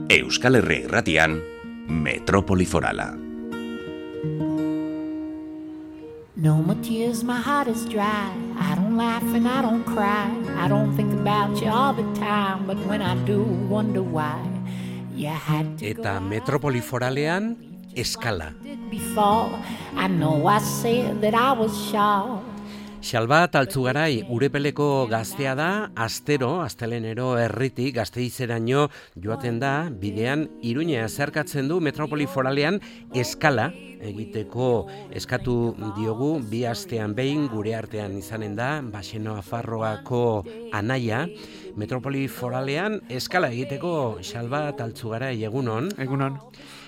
Euskal Herria Irratian, Metrópoli Forala. No more tears, my heart is dry. I don't laugh and I don't cry. I don't think about you all the time, but when I do, wonder why you had to go. Eta Metrópoli Foralean, eskala. I know I said that I was shy. Xalbat Altzugarai Urepeleko gaztea da, astelenero herritik Gasteizeraino joaten da, bidean Iruña zeharkatzen du Metrópoli Foralean eskala egiteko eskatu diogu, bi astean behin gure artean izanen da, Baxeno Afarroako anaia, Metrópoli Foralean eskala egiteko Xalbat Altzugarai egunon. Egunon.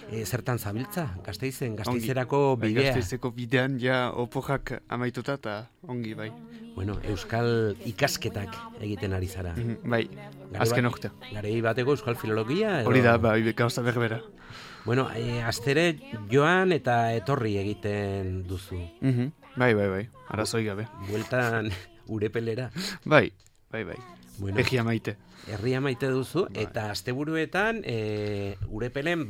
Zertan zabiltza, Gasteizerako bidea? Gasteizeko bidean ja opojak amaituta eta ongi, bai. Bueno, euskal ikasketak egiten ari zara. Bai, azken urtea. Garei bateko euskal filologia? Hori da, bai, gauza berbera. Bueno, astere joan eta etorri egiten duzu. Bai, arazoi gabe. Bueltan Urepelera. Bai. Bueno, Herria maite duzu, eta asteburuetan Urepelen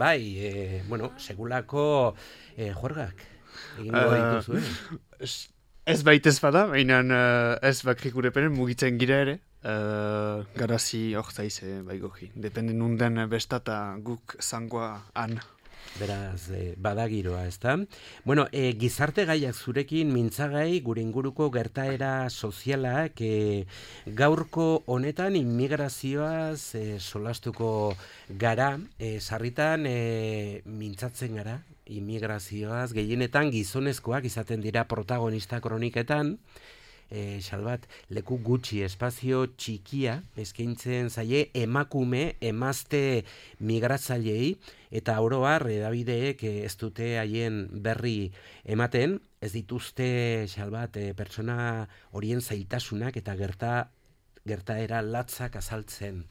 segulako juergak egingo dituzu, Ez baitez bada, baina ez bakrik Urepelen mugitzen gira ere, garazi horzaiz bai goji. Dependen unden bestata guk zangoa han. Beraz, badagiroa, ezta? Bueno, gizarte gaiak zurekin mintzagai gure inguruko gertaera sozialak gaurko honetan immigrazioaz solastuko gara, sarritan mintzatzen gara, immigrazioaz gehienetan gizonezkoak izaten dira protagonista kroniketan, Xalbat, leku gutxi, espazio txikia eskaintzen zaie emazte migratzaileei, eta oro har edabideek ez dute haien berri ematen, ez dituzte Xalbat pertsona horien zailtasunak eta gertaera latzak azaltzen.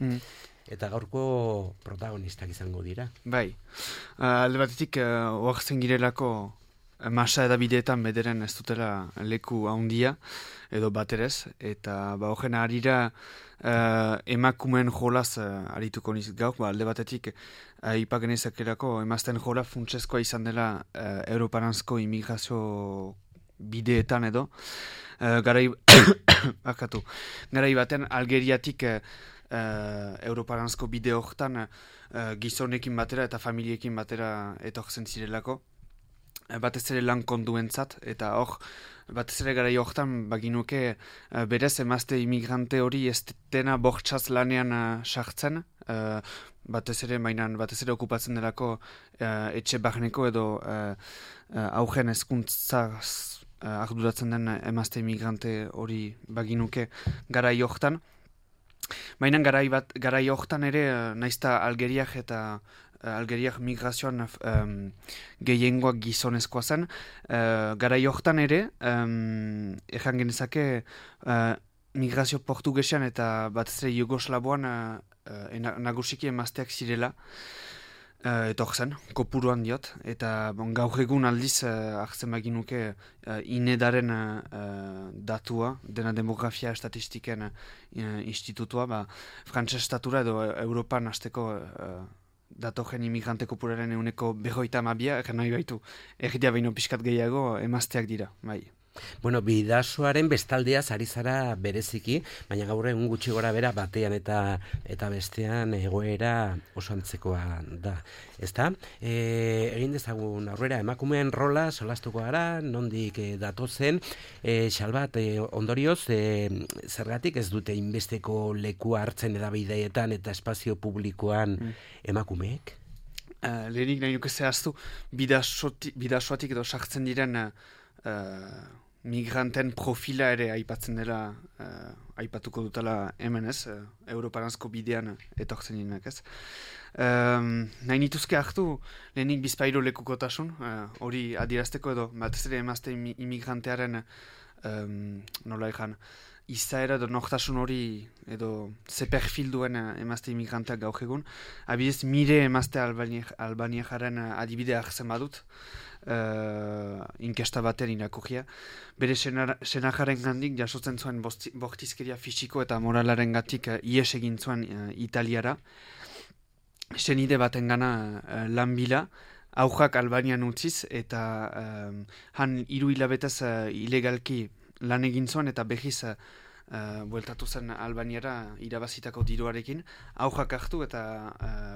Eta gaurko protagonistak izango dira. Bai, alde batetik oaxen girelako masa edabideetan bederen ez dutela leku handia edo baterez, eta horren harira emakumen jolaz arituko niz gauk, alde batetik ipagenezakerako emazten jola funtsezkoa izan dela europaranzko immigrazio bideetan edo, garai baten Algeriatik europaranzko bide horretan gizonekin batera eta familiekin batera etortzen zirelako, batez ere lan konduentzat, eta hor, batez ere gara johtan baginuke berez emazte imigrante hori ez dena bortxaz lanean sartzen, batez ere okupatzen delako etxe barneko edo augen hezkuntzaz arduratzen den emazte imigrante hori baginuke gara johtan. Baina gara johtan ere naizta Algeriak migrazioan gehiengoak gizonezkoa zen. Gara johtan ere, erran genezake migrazio portugesean eta batez ere Jugoslaboan nagusiki emazteak zirela, etor zen, kopuruan diot, eta gaur egun aldiz hartzen baginuke inedaren datua, dena demografia estatistiken institutua, frantses estatura edo Europan hasteko datogen imigrante kopuraren 52%, egin nahi baitu, egitea behin pixkat gehiago emazteak dira, bai. Bueno, bidasoaren bestaldeaz ari zara bereziki, baina gaur egun gutxi gora bera batean eta bestean egoera oso antzekoa da. Ezta? Egin dezagun aurrera emakumeen rola solastuko gara, nondik datozen, Xalbat, ondorioz, zergatik ez dute inbesteko lekua hartzen edabideetan eta espazio publikoan emakumeek? Lehenik nahi nuke zehaztu, bidasoatik edo sartzen diren migranten profila ere aipatzen dela, aipatuko dutela hemen ez, europaranzko bidean etortzen dinak ez. Nahi nituzke hartu lehenik bizpairo lekukotasun, hori adierazteko edo, batez ere emazte imigrantearen nola egan, izaera edo nortasun hori edo ze perfil duen emazte imigranteak gaur egun. Abidez, mire emazte albaniajaren adibidea hartzen badut, inkesta batean irakurria. Bere senajaren gandik jasotzen zuen bortizkeria fisiko eta moralaren gatik ies egin zuen Italiara. senide batengana lan bila, aujak Albanian utziz, eta han 3 hilabetez ilegalki lan egin zuen, eta behiz bueltatu zen Albaniara irabazitako diruarekin, aujak hartu eta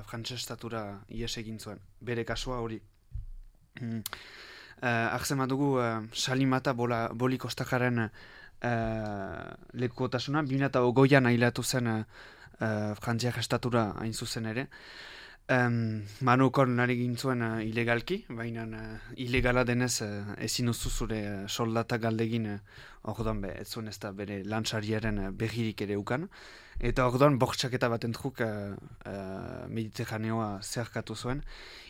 frantses estatura ies egin zuen, bere kasua hori. Arzen dugu Salimata Boli Kostakaren lekukotasuna, 2020an ailatu zen Frantziak estatura hain zuzen ere. Manukon nari gintzuen ilegalki, baina ilegala denez ezin duzu zure soldata galdegin orduan ez zuen ez da bere lantzariaren begirik ere ukan. Eta orduan bortxaketa bat entruk Mediterraneoa zerkatu zuen.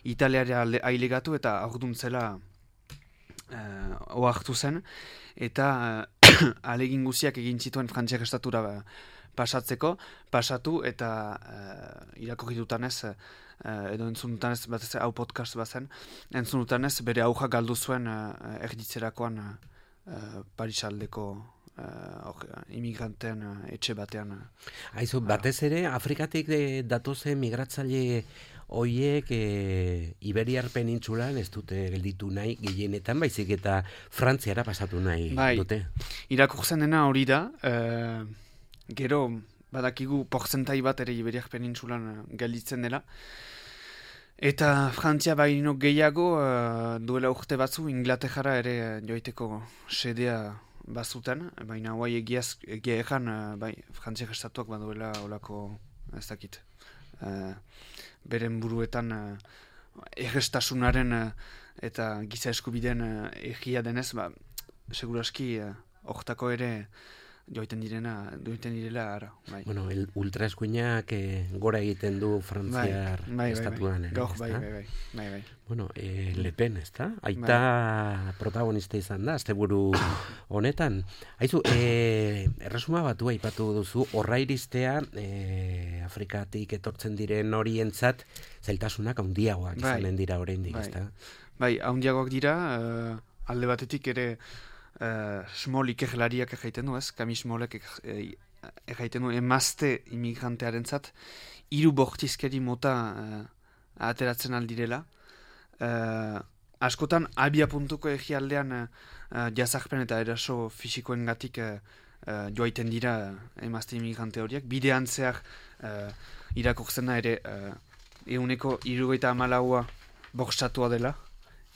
Italiara ailegatu eta orduan zela oartu zen. Eta alegin guziak egin zituen Frantziak estatura pasatu eta irakurri dutanez, edo entzun dutanez, batez hau podcast bazen, entzun dutanez bere auja galdu zuen erditzerakoan Parisaldeko imigranten etxe batean. Aizu, batez ere, Afrikatik datozen migratzaile hoiek Iberiar penintsulan ez dute gelditu nahi gehienetan, baizik eta Frantziara pasatu nahi dute. Irakurtzen dena hori da, gero badakigu porzentai bat ere Iberiar penintsulan gelditzen dela. Eta Frantzia baino gehiago duela urte batzu Inglaterra ere joiteko sedea bazuten, baina guai egia egan Frantziak estatuak baduela olako ez dakit. Beren buruetan errestasunaren eta giza eskubideen egia denez, seguraski hortako ere joiten direla ara. Bai. Bueno, ultraeskuinak gora egiten du Frantziar estatuan. Bai. Bueno, Le Pen, ez da? Aita protagonista izan da, asteburu honetan. Aizu, erresuma batua aipatu duzu, horra iristea Afrikatik etortzen diren horientzat zailtasunak handiagoak izanen dira oraindik, ez da? Bai, handiagoak dira, alde batetik ere Smol ikerlariak egiten du, ez? Kami Smolek egiten du emazte imigrantearen zat, 3 bortizkeri mota ateratzen aldirela. Askotan, abia puntuko egialdean jazakpen eta eraso fisikoen gatik joaiten dira emazte imigrante horiek. Bidean zehar irakurtzena ere euneko 74 bortxatua dela,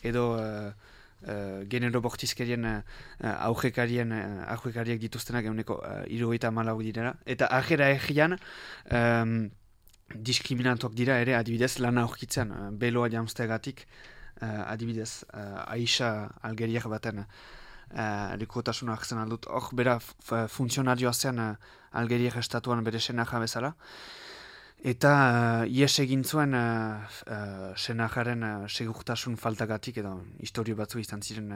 edo genero bortizkerien aujekariak dituztenak euneko 74 direla. Eta ajera egian diskriminatuak dira ere adibidez lana aurkitzen beloa jamstegatik adibidez Aisha Algeriak baten lekukotasuna hartzen aldut. Hor bera funtzionarioa zen Algeriak estatuan bere senaja bezala. Eta ies egin zuen senajaren segurtasun faltagatik edo historio batzu izan ziren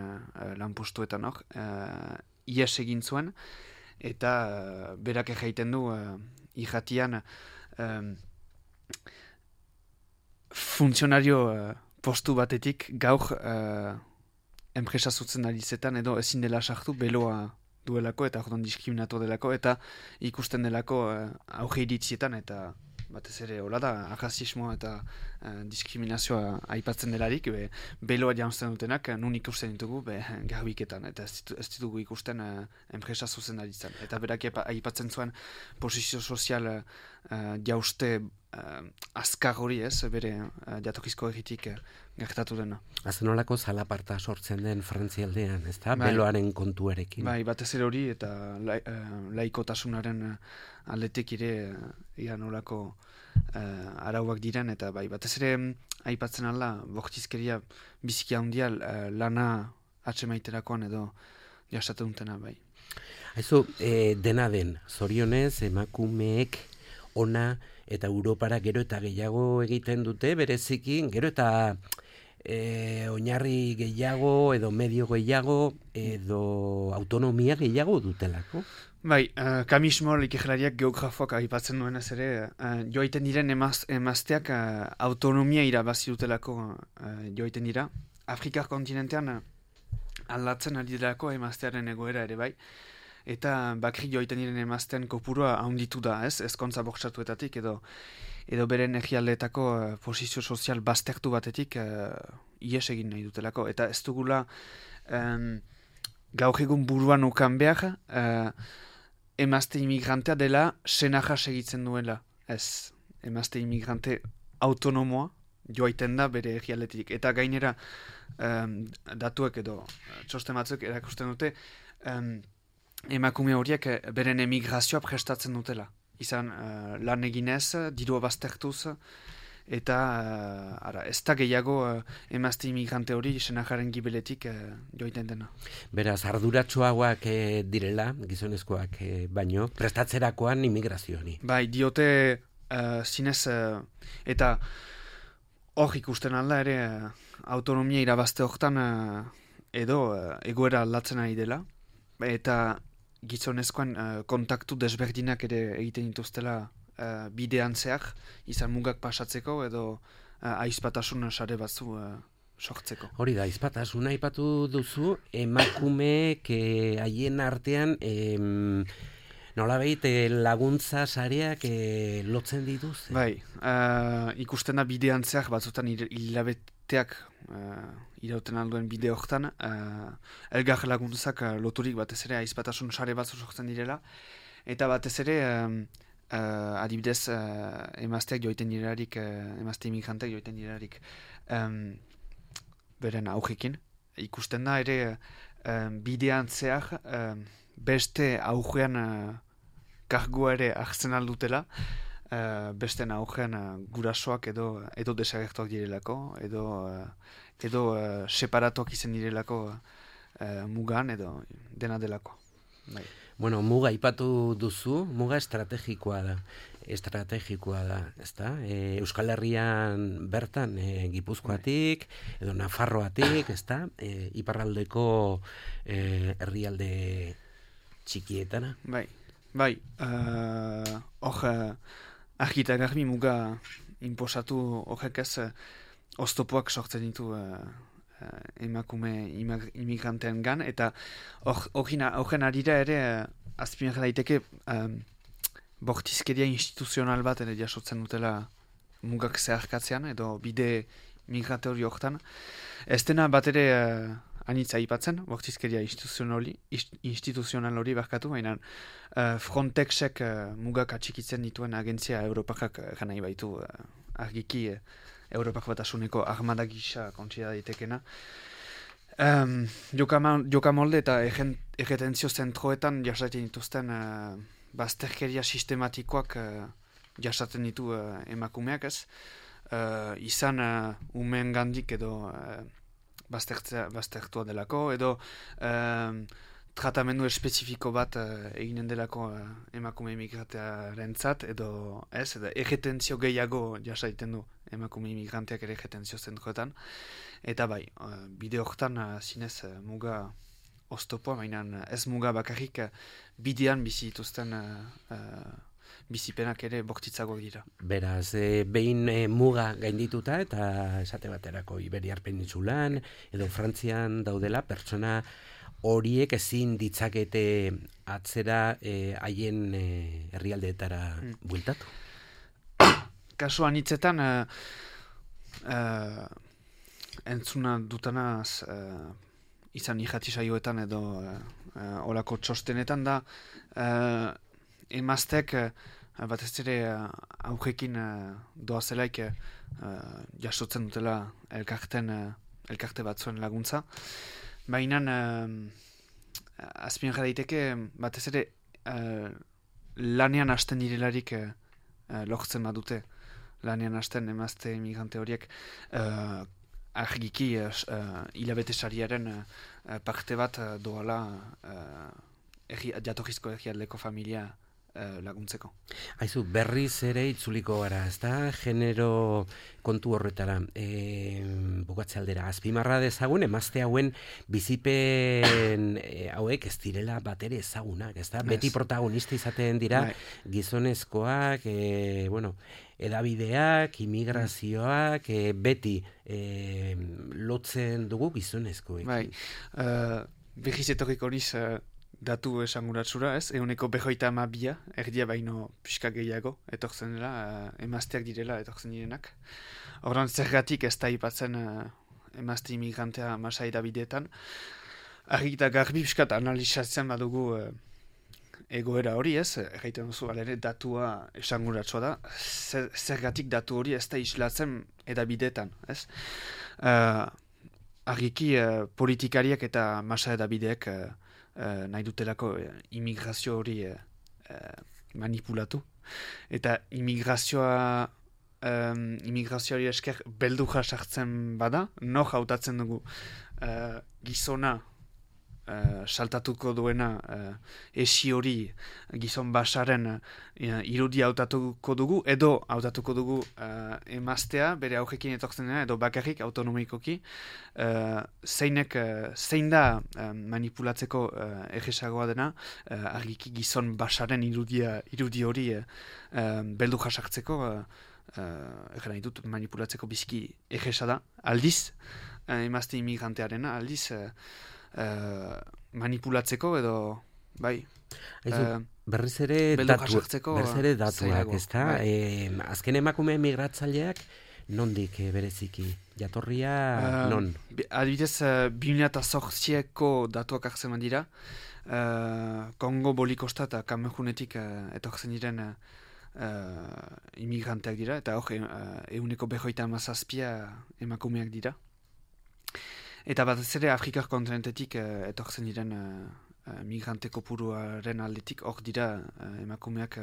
lanpostuetan hor. Ies egin zuen eta berak egiten du irratian funtzionario postu batetik gaur enpresa zutzen arizetan edo ezin dela sartu beloa duelako eta orduan diskriminatu delako eta ikusten delako auge iritzietan eta batez ere hola da, arrazismoa eta diskriminazioa aipatzen delarik, beloa janzten dutenak nun ikusten ditugu garbiketan, eta ez ditugu ikusten enpresa zuzen aritzen. Eta berak aipatzen zuen posizio sozial jauste azkar hori ez, bere jatorrizko egitik gertatu dena. Azenolako zalaparta sortzen den Frantzialdean, ez da? Beloaren kontuarekin. Bai, batez ere hori eta laikotasunaren aldetik ere nolako arauak diren, eta bai, batez ere aipatzen alda, bortizkeria biziki handia lana atsemaiterakoan edo jasate duntena, bai. Aizu, dena den, zorionez, emakumeek ona eta Europara gero eta gehiago egiten dute, berezikin, gero eta oinarri gehiago edo medio gehiago edo autonomia gehiago dutelako. Bai, kamismo ikerlariak geografoak aipatzen duenez ere, joaiten diren emazteak autonomia irabazi dutelako joaiten dira. Afrikar kontinentean aldatzen ari delako emaztearen egoera ere bai. Eta bakri joaiten diren emaztean kopurua handitu da, ez? Ezkontza bortxatuetatik edo. edo beren egialdeetako posizio sozial baztertu batetik ies egin nahi dutelako. Eta ez dugula gaur egun buruan ukan behar emazte imigrantea dela senaja segitzen duela. Ez, emazte imigrante autonomoa joaiten da bere egialdetik. Eta gainera datuek edo txosten batzuk erakusten dute emakume horiek beren emigrazioa prestatzen dutela. Izan lan eginez, dirua baztertuz, eta ez da gehiago emazte imigrante hori senajaren gibeletik joaiten dena. Beraz, arduratsuagoak direla, gizonezkoak baino, prestatzerakoan imigrazioari. Bai, diote zinez, eta hor ikusten alda ere autonomia irabazte horretan edo egoera aldatzen ari dela, eta gizonezkoan kontaktu desberdinak ere egiten dituztela bidean zehar, izan mugak pasatzeko edo aizpatasun sare batzu sortzeko. Hori da, aizpatasuna aipatu duzu, emakumeek haien artean nolabait laguntza sareak lotzen dituz? Bai, ikusten da bidean zehar batzutan hilabeteak irauten alduen bide horretan, elgar laguntzak loturik batez ere aizpatasun sare batzu sortzen direla, eta batez ere adibidez emazteak joiten direlarik, emazte imigranteak joiten direlarik beren aujekin. Ikusten da ere bidean zehar beste aujean kargua ere hartzen aldutela, beste aujean gurasoak edo desagertuak direlako, edo separatuak izan direlako mugan edo dena delako. Bai. Bueno, muga aipatu duzu, muga estrategikoa da, ezta? Euskal Herrian bertan Gipuzkoatik, edo Nafarroatik, ezta? Iparraldeko herrialde txikietana. Bai, hor argita garbi muga inposatu horrek ez oztopoak sortzen ditu emakume imigranteen gan, eta horren arira ere azpimarra daiteke bortizkeria instituzional bat ere jasotzen dutela mugak zeharkatzean edo bide migratori horretan. Ez dena bat ere anitza aipatzen, bortizkeria instituzional hori barkatu, baina Frontexek mugak atxikitzen dituen agentzia Europakak nahi baitu argiki Europak Batasuneko armada gisa kontsidera daitekena. Jokamolde eta erretentzio zentroetan jasaten dituzten bazterkeria sistematikoak jasaten ditu emakumeak ez. Izan umeen gandik edo baztertua delako, edo tratamendu espezifiko bat eginen delako emakume imigrantearentzat, edo erretentzio gehiago jasaiten du emakume imigranteak ere erretentzio zentroetan. Eta bai, bide horretan zinez muga oztopoa, baina ez muga bakarrik bidean bizi dituzten bizipenak ere bortitzago dira. Beraz, behin muga gaindituta eta esate baterako Iberiar Penintsulan edo Frantzian daudela pertsona horiek ezin ditzakete atzera haien herrialdeetara bueltatu. Kasuan hitzetan entzuna dutanaz izan irrati saioetan edo olako txostenetan da emaztek batez ere aujekin doazelaik jasotzen dutela elkarte batzuen laguntza. Baina azpimarra daiteke batez ere lanean hasten direlarik lortzen badute. Lanean hasten emazte emigrante horiek argiki hilabete sariaren parte bat doala jatorrizko herrialdeko familia laguntzeko. Haizu, berriz ere itzuliko gara, ezta? Genero kontu horretara, bukatze aldera. Azpimarra dezagun, emazte hauen bizipen hauek ez direla batere ezagunak, ezta? Beti protagonista izaten dira gizonezkoak, edabideak, imigrazioak, beti lotzen dugu gizonezkoek. Bai, behiz etorriko niz datu esanguratsura, ez? 52%, erdia baino pixka gehiago, etortzen dela, emazteak direla, etortzen direnak. Horren zergatik ez da ipatzen emazte imigrantea Masai da bideetan. Argi eta garbi pixkat analizatzen badugu egoera hori, ez? Erraiten duzu, alere, datua esanguratsua da. Zergatik datu hori ez da islatzen edabideetan, ez? Argiki politikariak eta Masai da bideek nahi dutelako immigrazio hori manipulatu. Eta immigrazioari esker beldurra sartzen bada, nor hautatzen dugu gizona saltatuko duena esi hori gizon basaren irudia hautatuko dugu, edo hautatuko dugu emaztea bere aurrekin etortzen dena, edo bakarrik autonomikoki, zein da manipulatzeko erresagoa dena, argiki gizon basaren irudi hori beldurra sartzeko, egin nahi dut manipulatzeko biziki erresa da, aldiz, emazte immigrantearena, aldiz, manipulatzeko edo bai berriz ere datuak, ezta? Bai. Azken emakume migratzaileak nondik bereziki? Jatorria non? Adibidez, 2008ko datuak hartzen dira, Kongo, Bolikosta eta Kamerunetik etortzen diren immigranteak dira, eta hor 157 emakumeak dira. Eta batez ere Afrikar kontinentetik etortzen diren migrante kopuruaren aldetik, hor dira emakumeak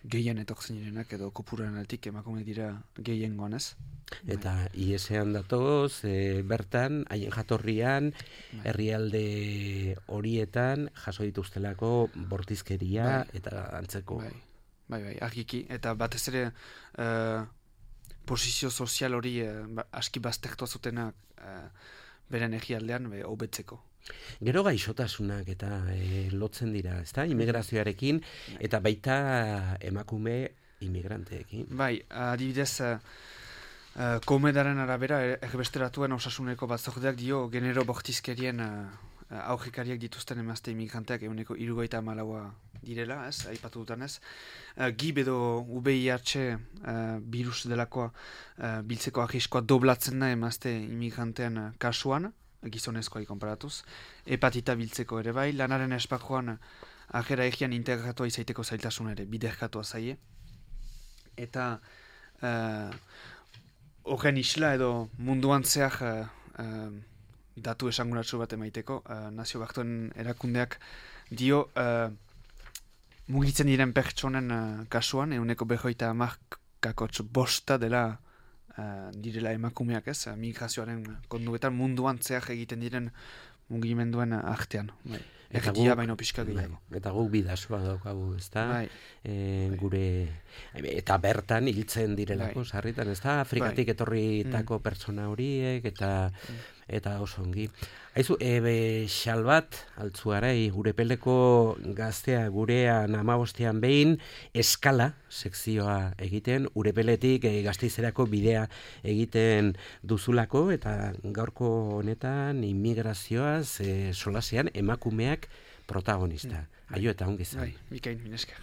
gehien etortzen direnak, edo kopuruaren aldetik emakumeak dira gehiengoan, ez? Eta IESean datoz, bertan, haien jatorrian, herrialde horietan jaso dituztelako bortizkeria eta antzeko. Bai, argiki. Eta batez ere posizio sozial hori aski baztertua zutenak beren egialdean hobetzeko. Gero gaixotasunak eta lotzen dira, ezta? Immigrazioarekin eta baita emakume immigranteekin. Bai, adibidez, Komedaren arabera erbesteratuen osasuneko batzordeak dio genero bortizkerien aurrekariak dituzten emazte immigranteak 74% direla, ez, aipatu dutan ez. GIB edo VIH virus delakoa biltzeko arriskoa doblatzen da emazte immigrantean kasuan, gizonezkoai konparatuz. Hepatita biltzeko ere bai, lanaren esparruan ajera egian integratua izaiteko zailtasun ere, biderkatua zaie. Eta horren isla edo munduan zehar datu esanguratsu bat emaiteko, Nazio Batuen erakundeak dio mugitzen diren pertsonen kasuan, 50% dela direla emakumeak, ez, migrazioaren konduetan munduan zehar egiten diren mugimenduen artean. Erdia baino pixka gehiago. Eta guk bidasoa daukagu, ezta? Gure eta bertan hiltzen direlako sarritan, ezta? Afrikatik etorritako pertsona horiek eta oso ongi. Aizu, Xalbat Altzuarai, Urepeleko gaztea gurean 15ean behin eskala sekzioa egiten, Urepeletik Gasteizerako bidea egiten duzulako, eta gaurko honetan immigrazioaz solasean emakumeak protagonista. Aio eta ongi zan. Mikain, minesker.